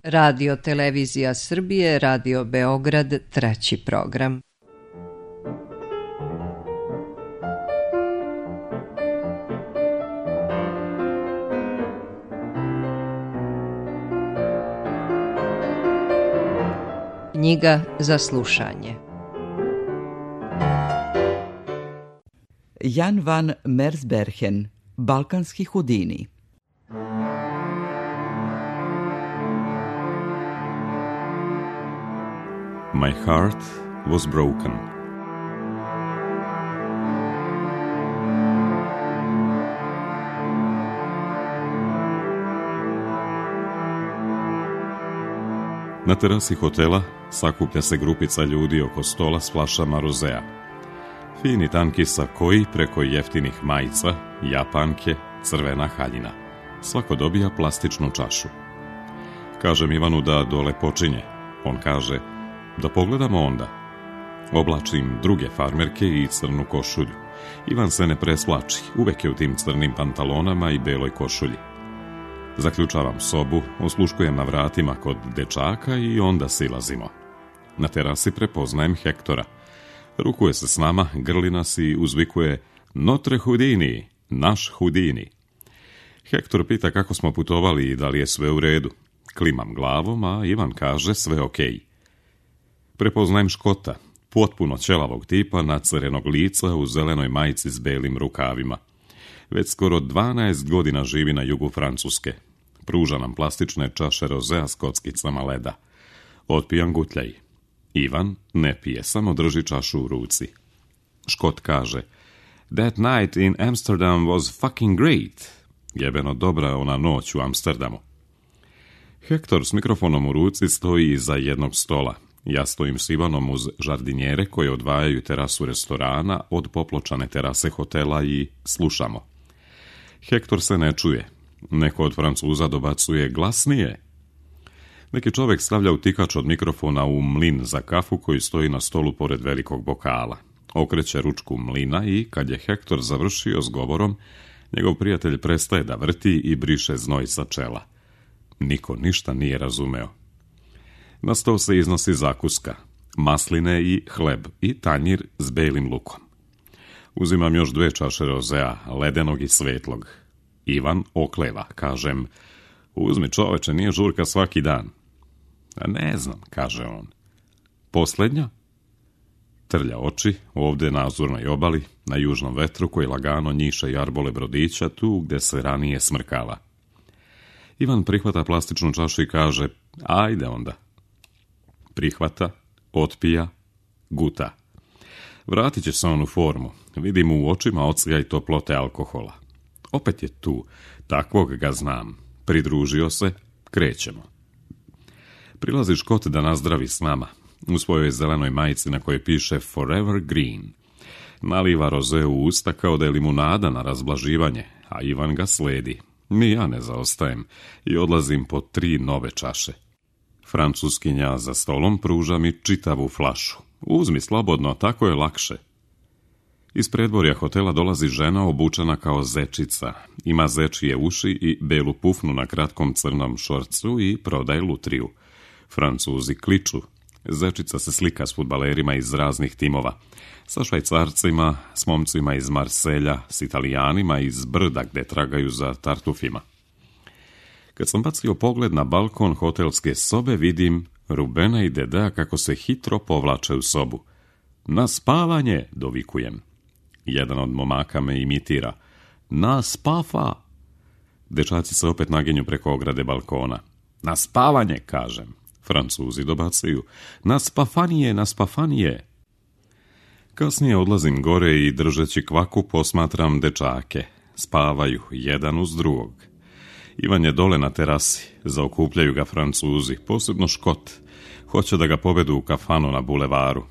Radio Televizija Srbije, Radio Beograd, 3. program. Knjiga za slušanje. Jan van Mersbergen, Balkanski Houdini. My heart was broken. Na terasi hotela sakuplja se grupica ljudi oko stola s flašama rozea. Fini tanki sakoji preko jeftinih majica, japanke, crvena haljina. Svako dobija plastičnu čašu. Kažem Ivanu da dole počinje. On kaže da pogledamo onda. Oblačim druge farmerke i crnu košulju. Ivan se ne presvlači, uvek je u tim crnim pantalonama i beloj košulji. Zaključavam sobu, osluškujem na vratima kod dečaka i onda silazimo. Na terasi prepoznajem Hektora. Rukuje se s nama, grli nas i uzvikuje Notre Houdini, naš Houdini. Hektor pita kako smo putovali i da li je sve u redu. Klimam glavom, a Ivan kaže sve okej. Prepoznajem Škota, potpuno ćelavog tipa, nacrvenog lica u zelenoj majici s belim rukavima. Već skoro 12 godina živi na jugu Francuske. Pruža nam plastične čaše rozea s kockicama leda. Otpijam gutljaj. Ivan ne pije, samo drži čašu u ruci. Škot kaže, That night in Amsterdam was fucking great. Jebeno dobra ona noć u Amsterdamu. Hektor s mikrofonom u ruci stoji iza jednog stola. Ja stojim s Ivanom uz žardinjere koje odvajaju terasu restorana od popločane terase hotela i slušamo. Hektor se ne čuje. Neko od Francuza dobacuje glasnije. Neki čovjek stavlja utikač od mikrofona u mlin za kafu koji stoji na stolu pored velikog bokala. Okreće ručku mlina i kad je Hektor završio s govorom, njegov prijatelj prestaje da vrti i briše znoj sa čela. Niko ništa nije razumeo. Na stol se iznosi zakuska, masline i hleb i tanjir s belim lukom. Uzimam još 2 čaše rozea, ledenog i svetlog. Ivan okleva, kažem, uzmi čoveče, nije žurka svaki dan. A ne znam, kaže on. Posljednja? Trlja oči, ovdje na Azurnoj obali, na južnom vetru koji lagano njiše jarbole brodića tu gdje se ranije smrkava. Ivan prihvata plastičnu čašu i kaže, ajde onda. Prihvata, otpija, guta. Vratit će se on u formu. Vidim u očima ocljaj toplote alkohola. Opet je tu, takvog ga znam. Pridružio se, krećemo. Prilazi Škot da nazdravi s nama. U svojoj zelenoj majici na kojoj piše Forever Green. Naliva roze u usta kao da je limunada na razblaživanje, a Ivan ga sledi. Ni ja ne zaostajem i odlazim po 3 nove čaše. Francuskinja za stolom pruža mi čitavu flašu. Uzmi slobodno, tako je lakše. Iz predvorja hotela dolazi žena obučena kao zečica. Ima zečije uši i belu pufnu na kratkom crnom šorcu i prodaje lutriju. Francuzi kliču. Zečica se slika s fudbalerima iz raznih timova. Sa Švajcarcima, s momcima iz Marselja, s Italijanima iz Brda gde tragaju za tartufima. Kad sam bacio pogled na balkon hotelske sobe, vidim Rubena i Dedea kako se hitro povlače u sobu. Na spavanje, dovikujem. Jedan od momaka me imitira. Na spafa! Dečaci se opet naginju preko ograde balkona. Na spavanje, kažem. Francuzi dobacuju. Na spafanije, na spafanije! Kasnije odlazim gore i držeći kvaku posmatram dečake. Spavaju, jedan uz drugog. Ivan je dole na terasi, zaokupljaju ga Francuzi, posebno Škot. Hoće da ga povedu u kafanu na bulevaru.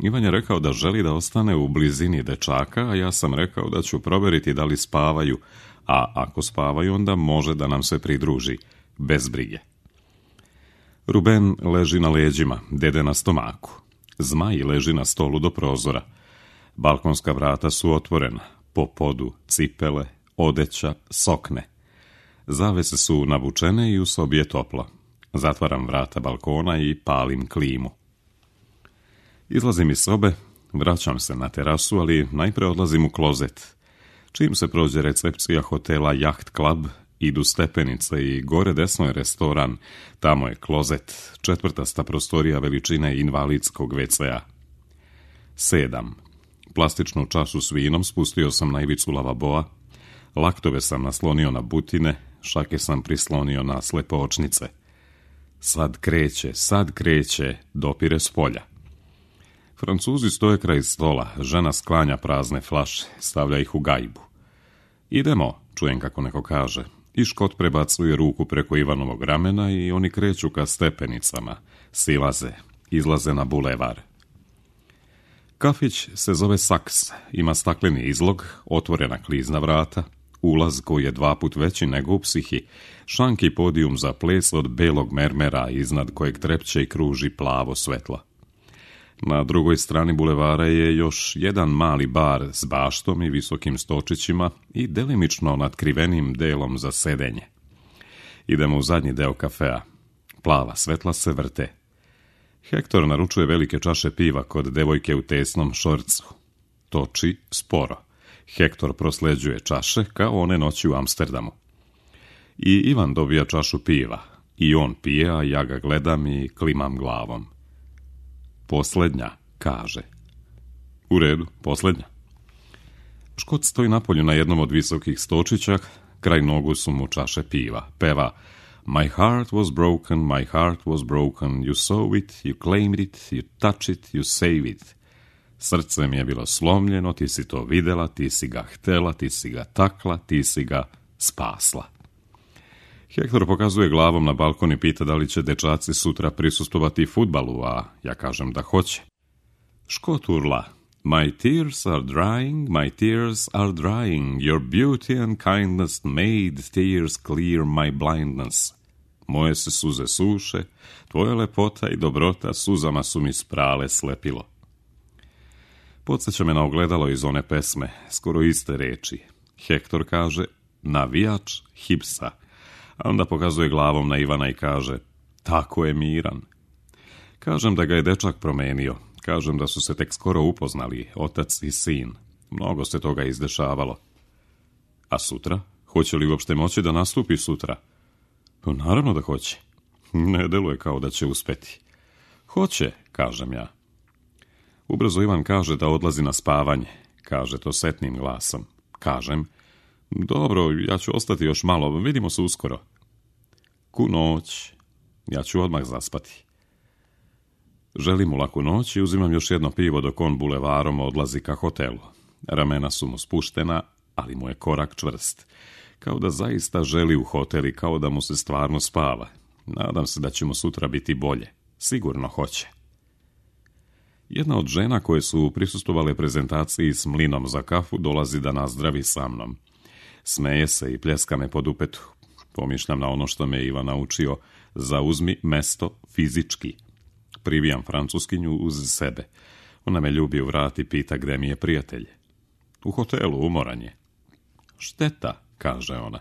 Ivan je rekao da želi da ostane u blizini dečaka, a ja sam rekao da ću proveriti da li spavaju, a ako spavaju onda može da nam se pridruži, bez brige. Ruben leži na leđima, Dede na stomaku. Zmaj leži na stolu do prozora. Balkonska vrata su otvorena, po podu cipele, odeća, sokne. Zavese su navučene i u sobi je toplo. Zatvaram vrata balkona i palim klimu. Izlazim iz sobe, vraćam se na terasu, ali najprije odlazim u klozet. Čim se prođe recepcija hotela Yacht Club, idu stepenice i gore desno je restoran, tamo je klozet, četvrtasta prostorija veličine invalidskog WC-a. 7. Plastičnu čašu s vinom spustio sam na ivicu lavaboa, laktove sam naslonio na butine, šake sam prislonio na slepočnice. Sad kreće, dopire s polja. Francuzi stoje kraj stola, žena sklanja prazne flaše, stavlja ih u gajbu. Idemo, čujem kako neko kaže, i Škot prebacuje ruku preko Ivanovog ramena i oni kreću ka stepenicama, izlaze na bulevar. Kafić se zove Saks, ima stakleni izlog, otvorena klizna vrata, ulaz koji je 2 puta veći nego u Psihi, šanki podijum za ples od belog mermera iznad kojeg trepće i kruži plavo svetlo. Na drugoj strani bulevara je još jedan mali bar s baštom i visokim stočićima i delimično natkrivenim delom za sedenje. Idemo u zadnji deo kafea. Plava svetla se vrte. Hektor naručuje velike čaše piva kod devojke u tesnom šorcu. Toči sporo. Hektor prosleđuje čaše kao one noći u Amsterdamu. I Ivan dobija čašu piva. I on pije, a ja ga gledam i klimam glavom. Posljednja, kaže. U redu, posljednja. Škot stoji napolju na jednom od visokih stočića, kraj nogu su mu čaše piva. Peva My heart was broken, my heart was broken, you saw it, you claimed it, you touch it, you save it. Srce mi je bilo slomljeno, ti si to videla, ti si ga htela, ti si ga takla, ti si ga spasla. Hektor pokazuje glavom na balkon i pita da li će dečaci sutra prisustvovati fudbalu, a ja kažem da hoće. Škot urla. My tears are drying, my tears are drying, your beauty and kindness made tears clear my blindness. Moje se suze suše, tvoja lepota i dobrota suzama su mi sprale slepilo. Podsjeća me na ogledalo iz one pesme, skoro iste reči. Hektor kaže, navijač Hipsa, a onda pokazuje glavom na Ivana i kaže, tako je Miran. Kažem da ga je dečak promenio, kažem da su se tek skoro upoznali, otac i sin. Mnogo se toga izdešavalo. A sutra? Hoće li uopšte moći da nastupi sutra? Pa naravno da hoće. Ne deluje kao da će uspeti. Hoće, kažem ja. Ubrzo Ivan kaže da odlazi na spavanje. Kaže to setnim glasom. Kažem, dobro, ja ću ostati još malo, vidimo se uskoro. Ku noć. Ja ću odmah zaspati. Želim mu laku noć i uzimam još jedno pivo dok on bulevarom odlazi ka hotelu. Ramena su mu spuštena, ali mu je korak čvrst. Kao da zaista želi u hotel i kao da mu se stvarno spava. Nadam se da će mu sutra biti bolje. Sigurno hoće. Jedna od žena koje su prisustvovale prezentaciji s mlinom za kafu dolazi da nazdravi sa mnom. Smeje se i pljeska me po dupetu. Pomišljam na ono što me Ivan naučio. Zauzmi mesto fizički. Privijam Francuskinju uz sebe. Ona me ljubi u vrat i pita gde mi je prijatelj. U hotelu, umoran je. Šteta, kaže ona.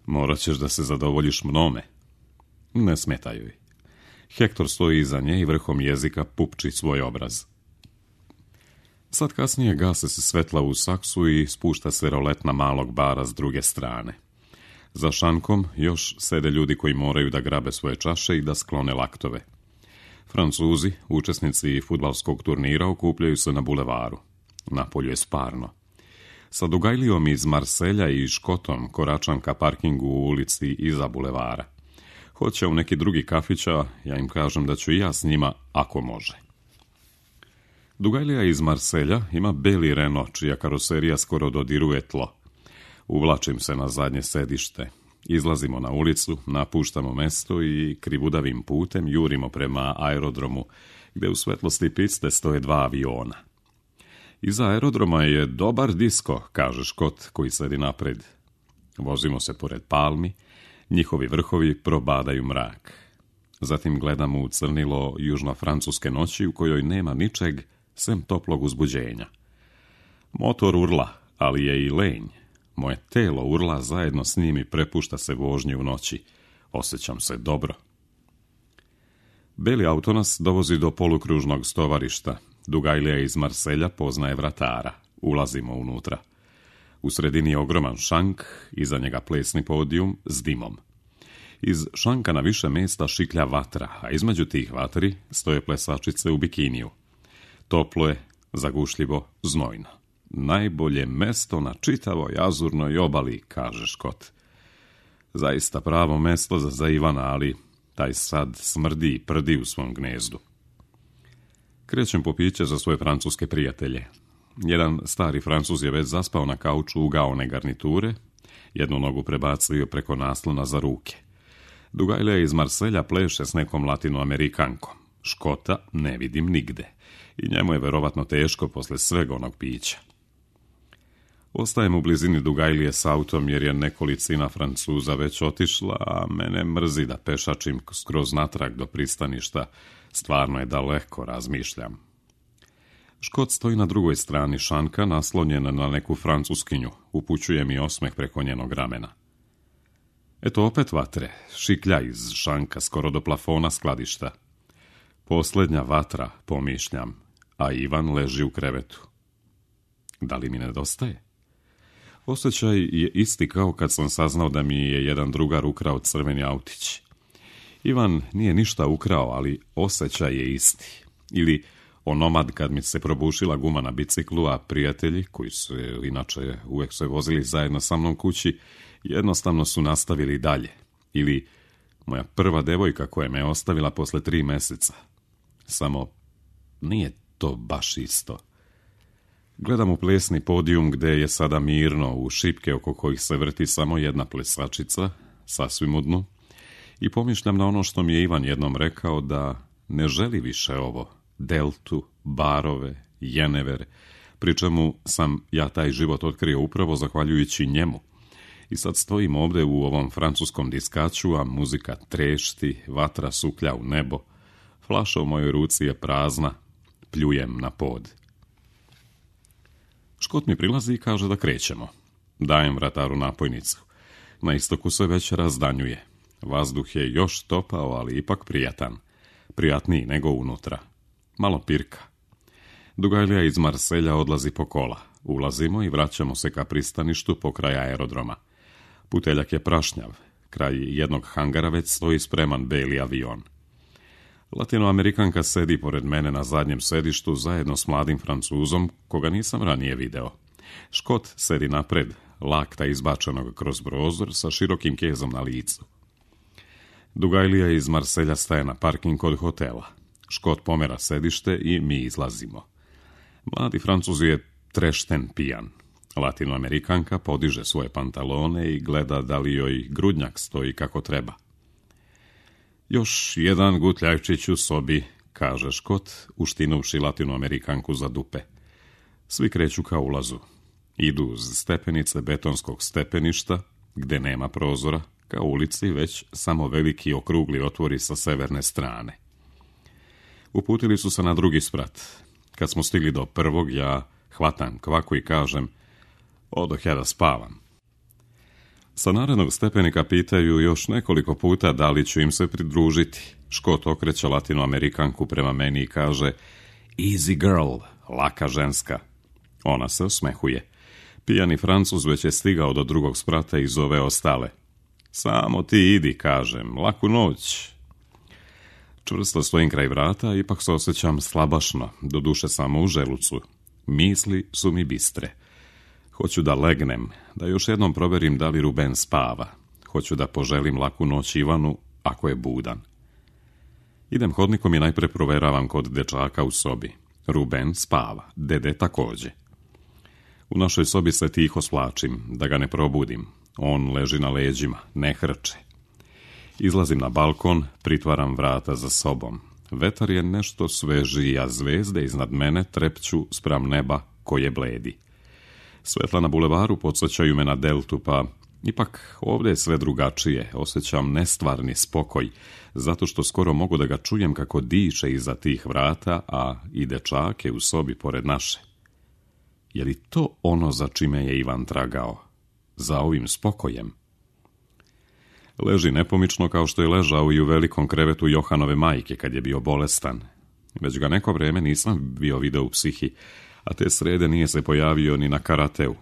Morat ćeš da se zadovoljiš mnome. Ne smeta joj. Hektor stoji iza nje i vrhom jezika pupči svoj obraz. Sad kasnije gase se svetla u Saksu i spušta se roletna malog bara s druge strane. Za šankom još sede ljudi koji moraju da grabe svoje čaše i da sklone laktove. Francuzi, učesnici fudbalskog turnira, okupljaju se na bulevaru. Napolju je sparno. Sa Dugajlijom iz Marselja i Škotom koračam ka parkingu u ulici iza bulevara. Hoće u neki drugi kafić, a ja im kažem da ću i ja s njima ako može. Dugajlija iz Marselja ima beli Renault, čija karoserija skoro dodiruje tlo. Uvlačim se na zadnje sedište. Izlazimo na ulicu, napuštamo mesto i krivudavim putem jurimo prema aerodromu, gde u svetlosti piste stoje 2 aviona. Iza aerodroma je dobar disko, kaže Škot koji sedi napred. Vozimo se pored palmi, njihovi vrhovi probadaju mrak. Zatim gledamo u crnilo južno-francuske noći u kojoj nema ničeg sem toplog uzbuđenja. Motor urla, ali je i lenj. Moje telo urla zajedno s njim i prepušta se vožnji u noći. Osjećam se dobro. Beli auto nas dovozi do polukružnog stovarišta. Dugajlija iz Marselja poznaje vratara. Ulazimo unutra. U sredini je ogroman šank, iza njega plesni podijum s dimom. Iz šanka na više mjesta šiklja vatra, a između tih vatri stoje plesačice u bikiniju. Toplo je, zagušljivo, znojno. Najbolje mesto na čitavoj azurnoj obali, kaže Škot. Zaista pravo mesto za Ivana, ali taj sad smrdi i prdi u svom gnezdu. Krećem po piće za svoje francuske prijatelje. Jedan stari Francuz je već zaspao na kauču ugaone garniture, jednu nogu prebacio preko naslona za ruke. Dugajlija iz Marselja pleše s nekom latinoamerikankom. Škota ne vidim nigde i njemu je verovatno teško posle svega onog pića. Ostajem u blizini Dugajlije s autom jer je nekolicina Francuza već otišla, a mene mrzi da pešačim skroz natrag do pristaništa. Stvarno je daleko, razmišljam. Škot stoji na drugoj strani šanka, naslonjen na neku francuskinju. Upućuje mi osmeh preko njenog ramena. Eto opet vatre, šiklja iz šanka skoro do plafona skladišta. Posljednja vatra, pomišljam, a Ivan leži u krevetu. Da li mi nedostaje? Osjećaj je isti kao kad sam saznao da mi je jedan drugar ukrao crveni autić. Ivan nije ništa ukrao, ali osjećaj je isti. Ili onomad kad mi se probušila guma na biciklu, a prijatelji, koji su inače uvijek se vozili zajedno sa mnom kući, jednostavno su nastavili dalje. Ili moja prva devojka koja me ostavila posle 3 mjeseca. Samo nije to baš isto. Gledam u plesni podijum gde je sada mirno, u šipke oko kojih se vrti samo jedna plesačica, sasvim u dnu, i pomišljam na ono što mi je Ivan jednom rekao, da ne želi više ovo, deltu, barove, jenever, pri čemu sam ja taj život otkrio upravo zahvaljujući njemu. I sad stojim ovdje u ovom francuskom diskaču, a muzika trešti, vatra suklja u nebo, flaša u mojoj ruci je prazna, pljujem na pod. Škot mi prilazi i kaže da krećemo. Dajem vrataru napojnicu. Na istoku se već razdanjuje. Vazduh je još topao, ali ipak prijatan. Prijatniji nego unutra. Malo pirka. Dugajlija iz Marselja odlazi po kola. Ulazimo i vraćamo se ka pristaništu pokraj aerodroma. Puteljak je prašnjav. Kraj jednog hangara već stoji spreman beli avion. Latinoamerikanka sedi pored mene na zadnjem sedištu zajedno s mladim Francuzom, koga nisam ranije video. Škot sedi napred, lakta izbačenog kroz prozor sa širokim kezom na licu. Dugajlija iz Marselja staje na parking kod hotela. Škot pomera sedište i mi izlazimo. Mladi Francuz je trešten pijan. Latinoamerikanka podiže svoje pantalone i gleda da li joj grudnjak stoji kako treba. Još jedan gutljajčić u sobi, kaže Škot, uštinovši Latinoamerikanku za dupe. Svi kreću ka ulazu. Idu uz stepenice betonskog stepeništa, gde nema prozora, ka ulici već samo veliki okrugli otvori sa severne strane. Uputili su se na drugi sprat. Kad smo stigli do prvog, ja hvatam kvaku i kažem, odoh ja da spavam. Sa narednog stepenika pitaju još nekoliko puta da li ću im se pridružiti. Škot okreće Latinoamerikanku prema meni i kaže, easy girl, laka ženska. Ona se osmehuje. Pijani Francuz već je stigao do drugog sprata i zove ostale. Samo ti idi, kažem, laku noć. Čvrsto stojim kraj vrata, ipak se osjećam slabašno, doduše samo u želucu. Misli su mi bistre. Hoću da legnem, da još jednom proverim da li Ruben spava. Hoću da poželim laku noć Ivanu, ako je budan. Idem hodnikom i najpre proveravam kod dečaka u sobi. Ruben spava, dede takođe. U našoj sobi se tiho svlačim, da ga ne probudim. On leži na leđima, ne hrče. Izlazim na balkon, pritvaram vrata za sobom. Vetar je nešto svežiji, a zvezde iznad mene trepću spram neba koje bledi. Svetla na bulevaru podsjećaju me na deltu, pa ipak ovdje je sve drugačije. Osjećam nestvarni spokoj, zato što skoro mogu da ga čujem kako diše iza tih vrata, a i dečak je u sobi pored naše. Je li to ono za čime je Ivan tragao? Za ovim spokojem? Leži nepomično kao što je ležao i u velikom krevetu Johanove majke kad je bio bolestan. Već ga neko vreme nisam bio video u psihi, a te srede nije se pojavio ni na karateu.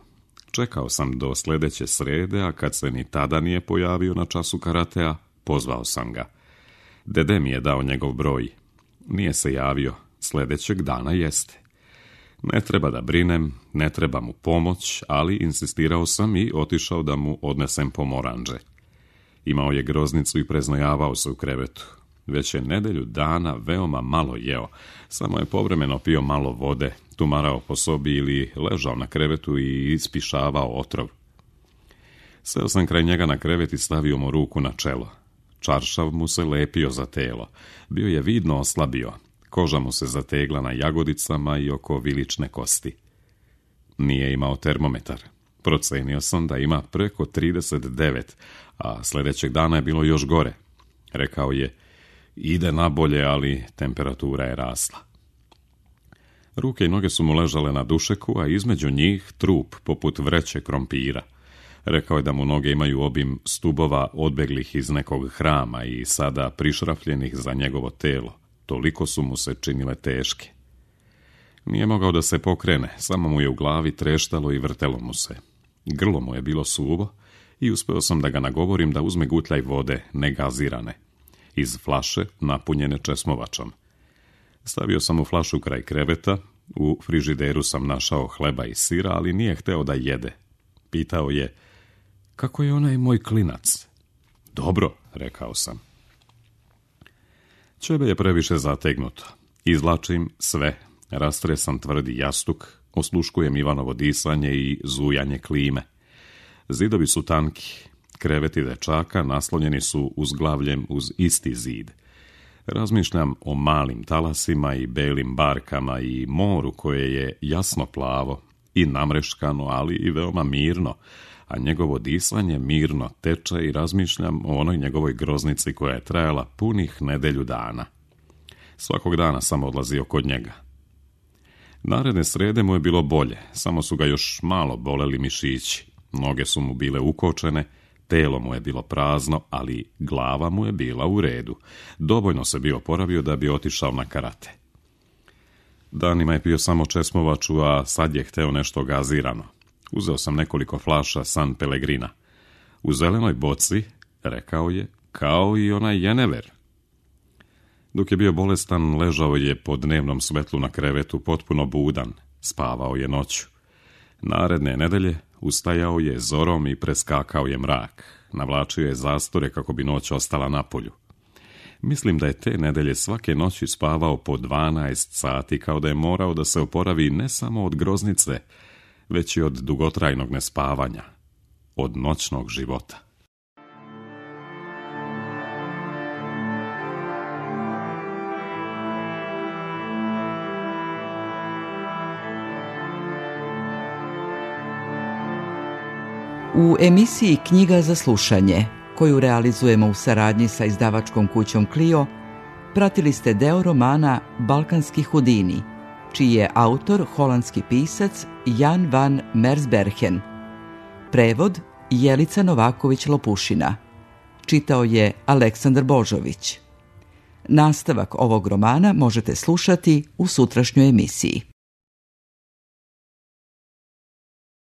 Čekao sam do sljedeće srede, a kad se ni tada nije pojavio na času karatea, pozvao sam ga. Dede mi je dao njegov broj. Nije se javio, sljedećeg dana jeste. Ne treba da brinem, ne treba mu pomoć, ali insistirao sam i otišao da mu odnesem pomoranđe. Imao je groznicu i preznojavao se u krevetu. Već je nedelju dana veoma malo jeo, samo je povremeno pio malo vode, tumarao po sobi ili ležao na krevetu i ispišavao otrov. Seo sam kraj njega na krevet i stavio mu ruku na čelo. Čaršav mu se lepio za telo. Bio je vidno oslabio. Koža mu se zategla na jagodicama i oko vilične kosti. Nije imao termometar. Procenio sam da ima preko 39, a sljedećeg dana je bilo još gore. Rekao je, ide nabolje, ali temperatura je rasla. Ruke i noge su mu ležale na dušeku, a između njih trup poput vreće krompira. Rekao je da mu noge imaju obim stubova odbeglih iz nekog hrama i sada prišrafljenih za njegovo telo. Toliko su mu se činile teške. Nije mogao da se pokrene, samo mu je u glavi treštalo i vrtelo mu se. Grlo mu je bilo suvo i uspeo sam da ga nagovorim da uzme gutljaj vode, negazirane, iz flaše napunjene česmovačom. Stavio sam mu flašu kraj kreveta, u frižideru sam našao hleba i sira, ali nije hteo da jede. Pitao je, kako je onaj moj klinac? Dobro, rekao sam. Ćebe je previše zategnuto. Izvlačim sve, rastresam tvrdi jastuk, osluškujem Ivanovo disanje i zujanje klime. Zidovi su tanki, kreveti dečaka naslonjeni su uzglavljem uz isti zid. Razmišljam o malim talasima i belim barkama i moru koje je jasno plavo i namreškano, ali i veoma mirno, a njegovo disanje mirno teče i razmišljam o onoj njegovoj groznici koja je trajala punih nedelju dana. Svakog dana sam odlazio kod njega. Naredne srede mu je bilo bolje, samo su ga još malo boleli mišići. Noge su mu bile ukočene, telo mu je bilo prazno, ali glava mu je bila u redu. Dovoljno se bio oporavio da bi otišao na karate. Danima je pio samo česmovaču, a sad je hteo nešto gazirano. Uzeo sam nekoliko flaša San Pellegrina. U zelenoj boci, rekao je, kao i onaj jenever. Dok je bio bolestan, ležao je po dnevnom svetlu na krevetu, potpuno budan. Spavao je noću. Naredne nedelje ustajao je zorom i preskakao je mrak. Navlačio je zastore kako bi noć ostala na polju. Mislim da je te nedelje svake noći spavao po 12 sati, kao da je morao da se oporavi ne samo od groznice, već i od dugotrajnog nespavanja, od noćnog života. U emisiji Knjiga za slušanje, koju realizujemo u saradnji sa izdavačkom kućom Clio, pratili ste deo romana Balkanski Hudini, čiji je autor holandski pisac Jan van Mersbergen. Prevod Jelica Novaković-Lopušina. Čitao je Aleksandar Božović. Nastavak ovog romana možete slušati u sutrašnjoj emisiji.